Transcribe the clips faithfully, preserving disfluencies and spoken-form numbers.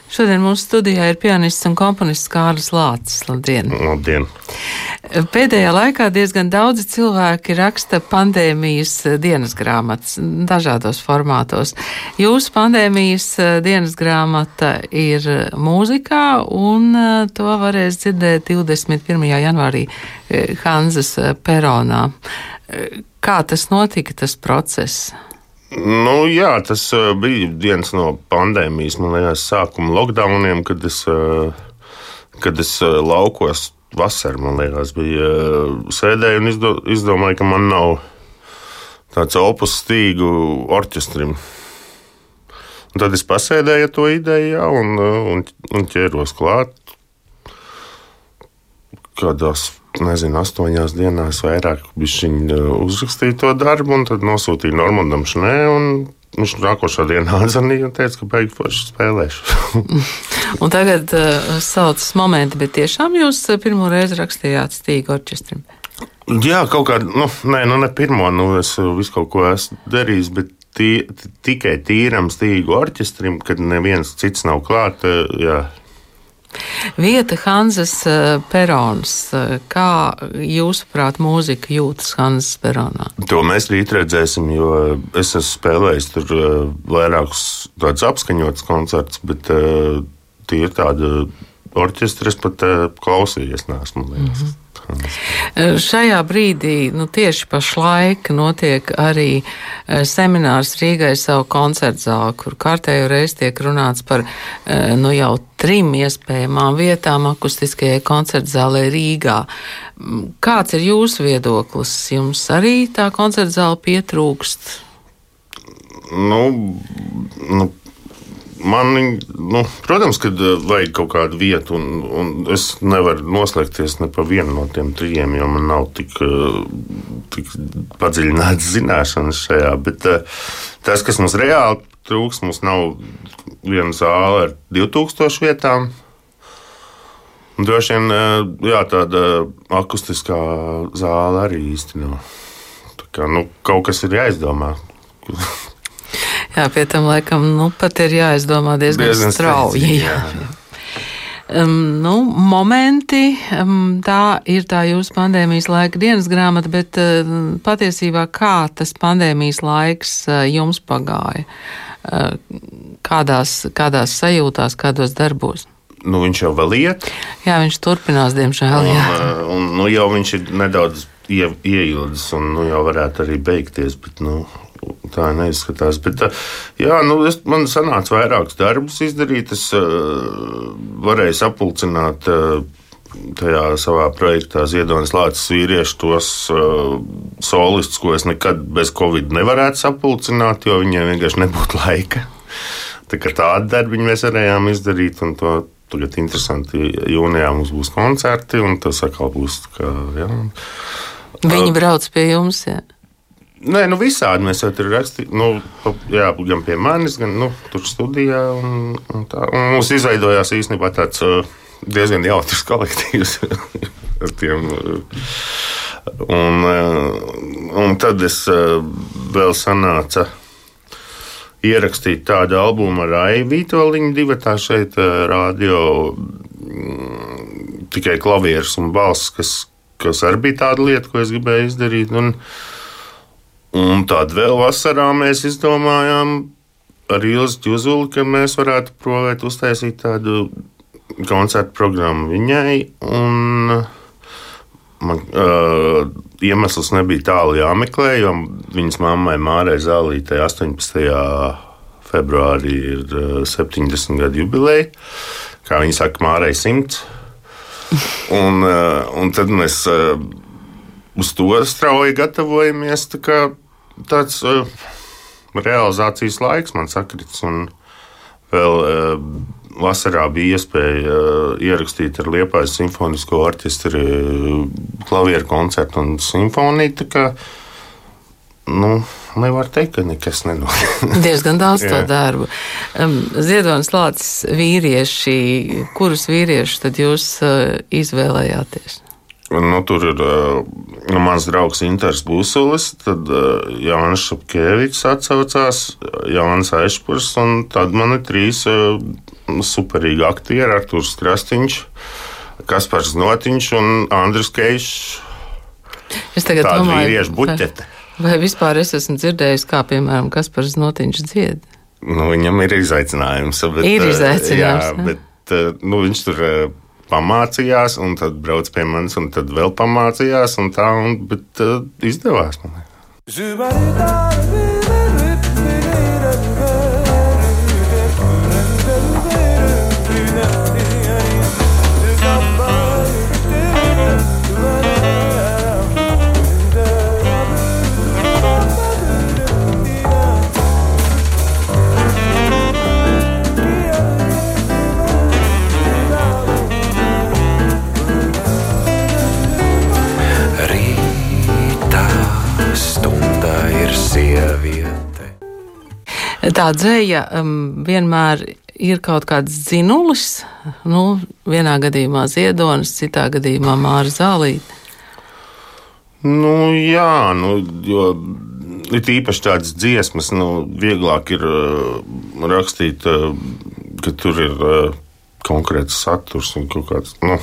Šodien mūsu studijā ir pianists un komponists Kārlis Lācis. Labdien! Labdien! Pēdējā laikā diezgan daudzi cilvēki raksta pandēmijas dienas grāmatas dažādos formātos. Jūsu pandēmijas dienas grāmata ir mūzikā, un to varēs dzirdēt divdesmit pirmajā janvārī Hanzas peronā. Kā tas notika, tas process? Nu, jā, tas uh, bija viens no pandēmijas, man liekas, sākuma lockdowniem, kad es, uh, kad es uh, laukos vasarā, man liekas, bija uh, sēdēju un izdo, izdomāju, ka man nav tāds opus stīgu orķestrim. Un tad es pasēdēju to ideju, jā, un, un, un ķēros klāt. Kādās, nezinu, astoņās dienās vairāk bišķiņ uzrakstīju to darbu, un tad nosūtīju Normandam Šnē, un viņš nākošā dienā atzvanīja un teica, ka beigi forši spēlēšu. Un tagad uh, saucas momenti, bet tiešām jūs pirmo reizi rakstījāt stīgu orķestrim? Jā, kaut kā, nu, nē, nu ne pirmo, nu es visu kaut ko esmu darījis, bet tī, tikai tīram stīgu orķestrim, kad neviens cits nav klāt, jā. Vieta Hanzas perons. Kā jūsuprāt mūzika jūtas Hanzas peronā? To mēs rīt redzēsim, jo es esmu spēlējis tur vairākus tādus apskaņotus koncertus, bet tie ir tādi orķestri, es pat klausījies neesmu, liekas. Mm-hmm. Šajā brīdī, nu tieši pašlaik, notiek arī seminārs Rīgai savu koncertu zāli, kur kārtējo reizi tiek runāts par nu jau trim iespējamām vietām akustiskajai koncertu zālē Rīgā. Kāds ir jūsu viedoklis? Jums arī tā koncertu zāle pietrūkst? Nu, nu. Man, nu, protams, ka vajag kaut kādu vietu, un, un es nevaru noslēgties ne pa vienu no tiem trijiem, jo man nav tik, tik padziļināts zināšanas šajā. Bet tas, kas mums reāli trūks, mums nav viena zāle ar divtūkstošu vietām. Un droši vien, jā, tāda akustiskā zāle arī īsti nav. Tā kā, nu, kaut kas ir jāizdomā. Jā, pie tam laikam nu, pat ir jāizdomā diezgan, diezgan strauji. Jā. Um, nu, momenti, um, tā ir tā jūsu pandēmijas laika dienas grāmata, bet uh, patiesībā kā tas pandēmijas laiks uh, jums pagāja? Uh, kādās, kādās sajūtās, kādos darbos? Nu, viņš jau vēl iet. Jā, viņš turpinās, diemžēl. Jā. Un, un, nu, jau viņš ir nedaudz ie, ieildzis un nu, jau varētu arī beigties, bet nu, tā neizskatās. Bet, jā, nu, es, man sanāca vairākus darbus izdarīt. Es uh, varēju sapulcināt uh, tajā savā projektā Ziedonis Lācis vīrieši tos uh, solistus, ko es nekad bez Covid nevarētu sapulcināt, jo viņiem vienkārši nebūtu laika. Tā kā tādu darbu mēs varējām izdarīt, un to tagad interesanti, jūnijā mums būs koncerti, un tas atkal būs, kā, jā. Viņi brauc pie jums, jā? Nē, nu visādi mēs jau tur rakstījām, nu, jā, gan pie manis, gan nu, tur studijā. Un, un tā. Un mums izveidojās īstenībā tāds uh, diezgan jautrs kolektīvs ar tiem. Uh, un, uh, un tad es uh, vēl sanāca ierakstīt tādu albumu ar Aivu Vītoliņu divatā šeit uh, radio, mm, tikai klavieres un balss, kas, kas arī bija tāda lieta, ko es gribēju izdarīt. Un, Un tad vēl vasarā mēs izdomājām ar Ilzi Ķuzuli, ka mēs varētu provēt uztaisīt tādu koncertu programmu viņai. Un man, uh, iemesls nebija tālu jāmeklē, jo viņas mammai Mārai Zālītei astoņpadsmitajā februārī ir uh, septiņdesmit gadu jubileja. Kā viņi saka, Mārai simts. Un, uh, un tad mēs... Uh, Uz to strauji gatavojamies. Tā kā tāds uh, realizācijas laiks man sakrits. Un vēl uh, vasarā bija iespēja uh, ierakstīt ar Liepājas simfonisko orķestri uh, klavieru koncertu un simfoniju. Tā kā, nu, nevar teikt, ka nekas nenotiek. Diezgan daudz to darbu. Um, Ziedonis Lācis vīrieši, kurus vīriešus tad jūs uh, izvēlējāties? Nu, tur ir uh, mans draugs Inters Būsulis, tad uh, Jānis Šapkevičs atsaucās, Jānis Ešpurs, un tad man ir trīs uh, superīgi aktieri, Artūrs Krastīņš, Kaspars Notiņš un Andris Keišs. Es tagad tāda domāju, vīriešu buķete. Vai, vai vispār es esmu dzirdējis, kā, piemēram, Kaspars Notiņš dzied? Nu, viņam ir izaicinājums. Bet, ir izaicinājums. Jā, bet nu, viņš tur pamācījās, un tad brauc pie manis, un tad vēl pamācījās, un tā, un, bet uh, izdevās man. Tā dzēja um, vienmēr ir kaut kāds dzinulis, nu, vienā gadījumā Ziedonis, citā gadījumā Māra Zālīte. Nu, jā, nu, jo ir īpaši tādas dziesmas, nu, vieglāk ir uh, rakstīt, uh, ka tur ir uh, konkrēts saturs un kaut kāds, nu,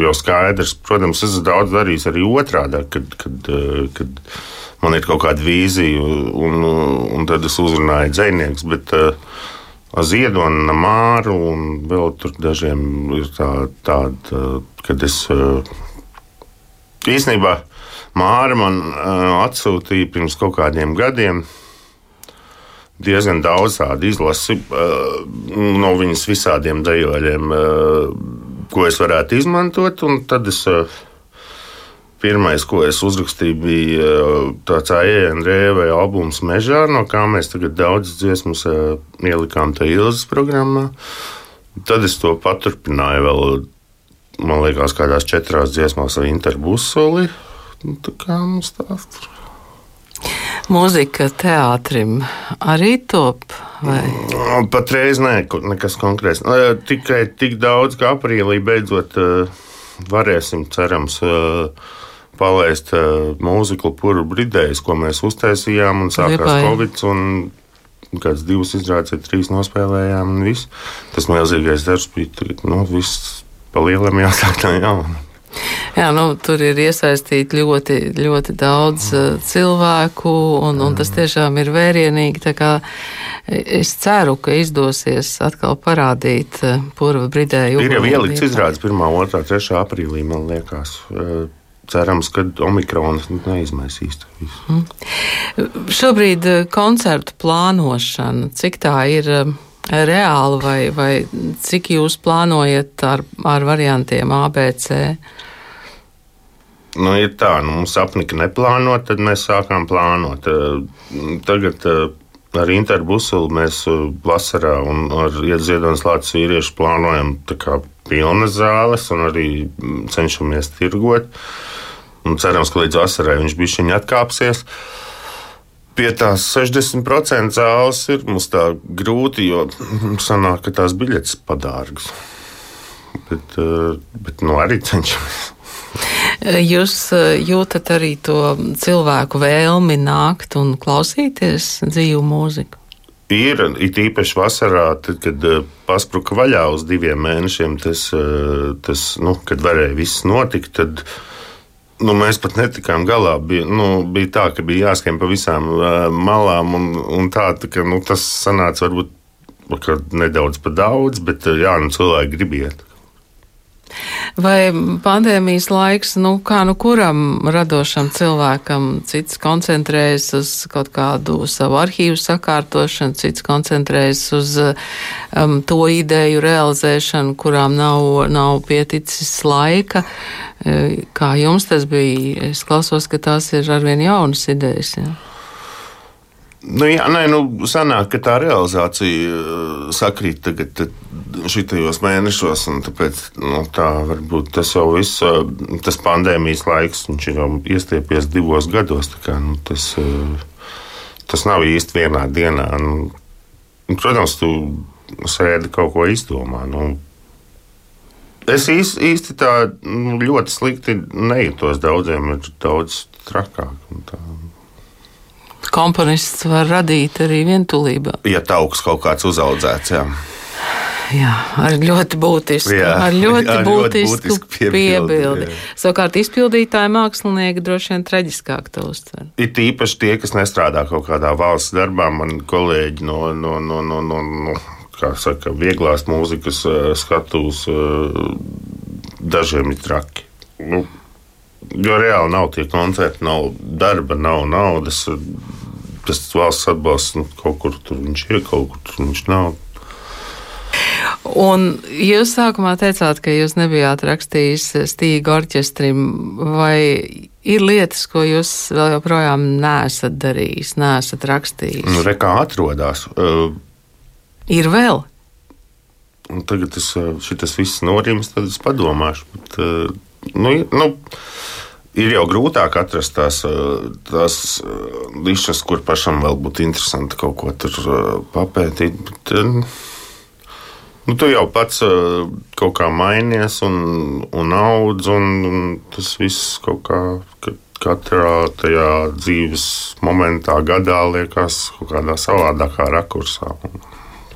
jau skaidrs. Protams, es esmu daudz darījis arī otrādā, kad, kad, uh, kad man ir kaut kāda vīzija, un, un tad es uzrunāju dzejnieks, bet uh, Ziedonu, Māru un vēl tur dažiem ir tā, tāda, kad es uh, īstenībā Māra man uh, atsūtīja pirms kaut kādiem gadiem diezgan daudz tādu izlasi uh, no viņas visādiem dejoļiem, uh, ko es varētu izmantot, un tad es uh, pirmais, ko es uzrakstīju, bija tāds A E N R vai albums Mežā, no kā mēs tagad daudz dziesmas ielikām tā Ilzas programmā. Tad es to paturpināju vēl, man liekas, kādās četrās dziesmās ar Interbusoli. Tā kā mums tā. Mūzika teātrim arī top? Vai? Patreiz nē, nekas konkrēts. Tikai tik daudz, ka aprīlī beidzot varēsim, cerams, palaist uh, mūziklu Puru Bridējs, ko mēs uztaisījām, un sākās Covid, un kāds divas izrādes vai trīs nospēlējām, un viss. Tas milzīgais darbs bija, nu, viss pa lielam jāsāk no jauna. Jā, nu, tur ir iesaistīti ļoti, ļoti daudz uh, cilvēku, un, un tas tiešām ir vērienīgi, tā kā es ceru, ka izdosies atkal parādīt uh, Puru Bridēju. Ir jau ielikts izrādes pirmā, otrā, trešā aprīlī, man liekas. Uh, Cerams, ka Omikrons neizmaisīs to visu. Mm. Šobrīd koncertu plānošana, cik tā ir reāla, vai, vai cik jūs plānojat ar, ar variantiem A, B, C? Nu, ir tā, nu, mums apnika neplānot, tad mēs sākām plānot. Tagad ar Interbusulu mēs vasarā un ar Ziedonas Lācis vīriešu plānojam tā kā pilnas zāles un arī cenšamies tirgot. Un cerams, ka līdz vasarai viņš bišķiņ atkāpsies. Pie tās sešdesmit procenti zāles ir mums tā grūti, jo sanāk, ka tās biļetes padārgas. Bet, bet nu arī cenšamies. Jūs jūtat arī to cilvēku vēlmi nākt un klausīties dzīvu mūziku? Ir, it īpaši vasarā, tad, kad paspruka vaļā uz diviem mēnešiem, tas, tas nu, kad varēja viss notikt, tad nu, mēs pat netikām galā. Bija, nu, bija tā, ka bija jāskrien pa visām uh, malām, un, un tā, tā ka, nu, tas sanāca varbūt nedaudz pa daudz, bet jā, nu, cilvēki grib iet. Vai pandēmijas laiks, nu kā nu kuram radošam cilvēkam, cits koncentrējas uz kaut kādu savu arhīvu sakārtošanu, cits koncentrējas uz um, to ideju realizēšanu, kurām nav, nav pieticis laika. Kā jums tas bija? Es klausos, ka tās ir arvien jaunas idejas. Ja? Nu, jā, nē, nu, sanāk, ka tā realizācija sakrīt tagad šitajos mēnešos, un tāpēc, nu, tā varbūt tas jau viss, tas pandēmijas laiks, viņš ir jau iestiepies divos gados, tā kā, nu, tas, tas nav īsti vienā dienā. Nu, protams, tu sēdi kaut ko izdomā, nu, es īsti, īsti tā nu, ļoti slikti nejūtos, daudziem ir daudz trakāk, un tā. Komponists var radīt arī vientulībā. Ja tauks kaut kāds uzaudzēts, jā. Jā, ar ļoti būtisku, jā, ar ļoti ar būtisku, ļoti būtisku piebildi. piebildi. Savukārt izpildītāji mākslinieki droši vien traģiskāk to uztver. It īpaši tie, kas nestrādā kaut kādā valsts darbā, man kolēģi no, no, no, no, no, no kā saka, vieglās mūzikas skatuves, dažiem ir traki. Nu, jo reāli nav tie koncerti, nav darba, nav naudas. Tas valsts atbalsts, nu, kaut kur tur viņš ir, kaut kur tur viņš nav. Un jūs sākumā teicāt, ka jūs nebijāt rakstījis Stīga orķestrim, vai ir lietas, ko jūs vēl joprojām neesat darījis, neesat rakstījis? Nu, re, kā atrodās. Uh, ir vēl? Tagad es, šitas viss norims, tad es padomāšu. Bet, uh, nu, nu, ir jau grūtāk atrast tās, tās nišas, kur pašam vēl būtu interesanti kaut ko tur papētīt. Bet, nu, tu jau pats kaut kā mainies un, un audz, un, un tas viss kaut kā katrā tajā dzīves momentā, gadā liekas kaut kādā savādākā rakursā.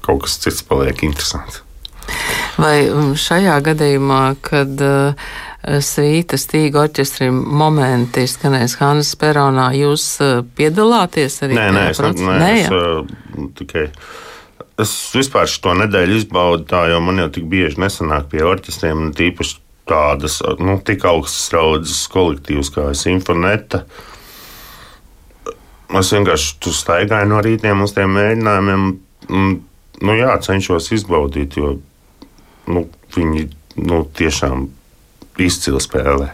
Kaut kas cits paliek interesants. Vai šajā gadījumā, kad uh, svīta Stīga orķestrim momenti skanēs Hanzas peronā, jūs uh, piedalāties arī? Nē, nē, es, nē, nē es uh, tikai. Es vispār šo nedēļu izbaudu tā, jo man jau tik bieži nesanāk pie orķestriem, un tīpaši tādas, nu, tik augstas raudzes kolektīvas kā Simfoneta. Es vienkārši tur staigāju no rītiem uz tiem mēģinājumiem, un, nu jā, cenšos izbaudīt, jo nu, viņi nu, tiešām izcili spēlē.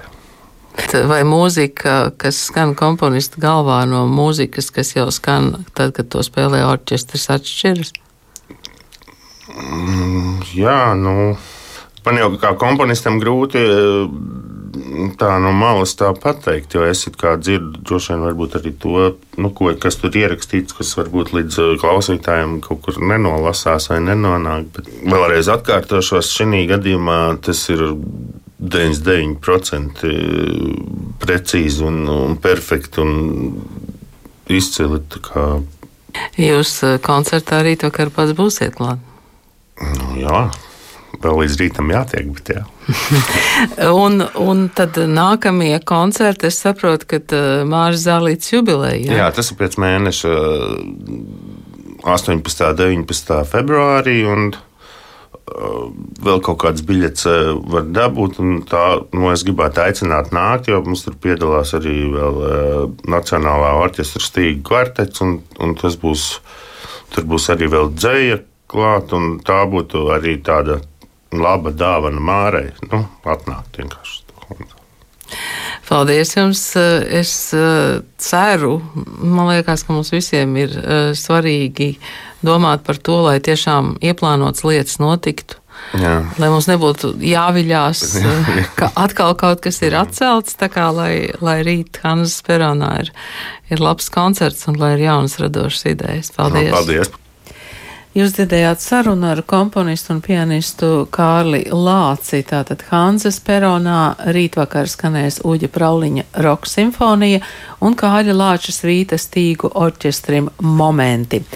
Vai mūzika, kas skan komponista galvā no mūzikas, kas jau skan tad, kad to spēlē orķestris, atšķiras? Mm, jā, nu, man jau kā komponistam grūti tā no malas tā pateikt, jo es it kā dzirdu droši vien varbūt arī to, nu, ko, kas tur ierakstīts, kas varbūt līdz klausītājiem kaut kur nenolasās vai nenonāk. Bet vēlreiz atkārtošos, šī gadījumā tas ir deviņdesmit deviņi procenti precīzi un, un perfekti un izcili. Kā... Jūs koncertā rītvakar pats būsiet klāt? Nu, jā. Vēl līdz rītam jātiek, bet jā. un, un tad nākamie koncerti, es saprotu, ka Māris Zālītes jubileja. Jā? Jā, tas ir pēc mēneša astoņpadsmitā un deviņpadsmitā februārī, un uh, vēl kaut kādas biļetes var dabūt, un tā, nu, es gribētu aicināt nākt, jo mums tur piedalās arī vēl uh, Nacionālā orķestra Stīga kvartets, un, un tas būs, tur būs arī vēl dzeja klāt, un tā būtu arī tāda laba dāvana Mārai, nu, atnākt vienkārši. Paldies jums. Es ceru, man liekas, ka mums visiem ir svarīgi domāt par to, lai tiešām ieplānotas lietas notiktu. Jā. Lai mums nebūtu jāviļās, ka atkal kaut kas ir atcelts, tā kā lai, lai rīt Hanzas peronā ir, ir labs koncerts un lai ir jaunas radošas idejas. Paldies. No, paldies. Jūs dzirdējāt sarunu ar komponistu un pianistu Kārli Lāci. Tātad Hanzas peronā rītvakar skanēs Uģa Prauliņa roka simfonija un Kārļa Lāča svīta Stīgu orķestrim momenti.